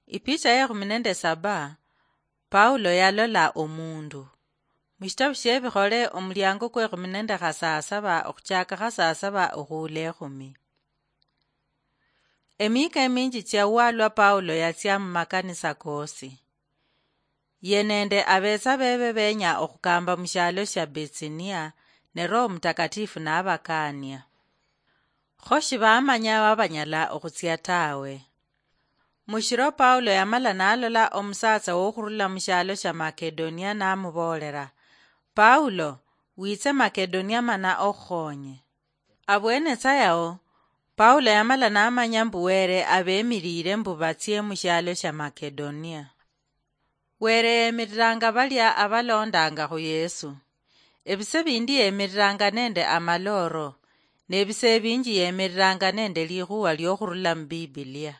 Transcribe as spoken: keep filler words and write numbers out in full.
Ipicha ya ekhumi nende saba. Paulo yalola omundu. Mushitabu shiebikhole omuliango kwekhumi nende khasasaba okhuchaka khasasaba okhuula ekhumi. Emika eminji chia walwa Paulo yatsia mumakanisa koosi. Ye nende abetsa bebe benya okhukamba mushialo shia Bitsinia, ne Roho Mutakatifu nabakania. Kho shibamanya wabanyala okhutsia tawe. Mushiro Paulo yamala nalola omusatsa wokhurula mushialo shia Makedonia namuboolera, "Paulo, witse Makedonia mana okhukhonye." Abwene tsa yao, Paulo yamala namanya mbu Were abemilile mbu batsie mushialo shia Makedonia. Were yemiriranga balia abalondanga khu Yesu. Ebise bindi yemiriranga nende amaloro, nebise ebinji yemiriranga nende likhuwa liokhurula mu Bibilia.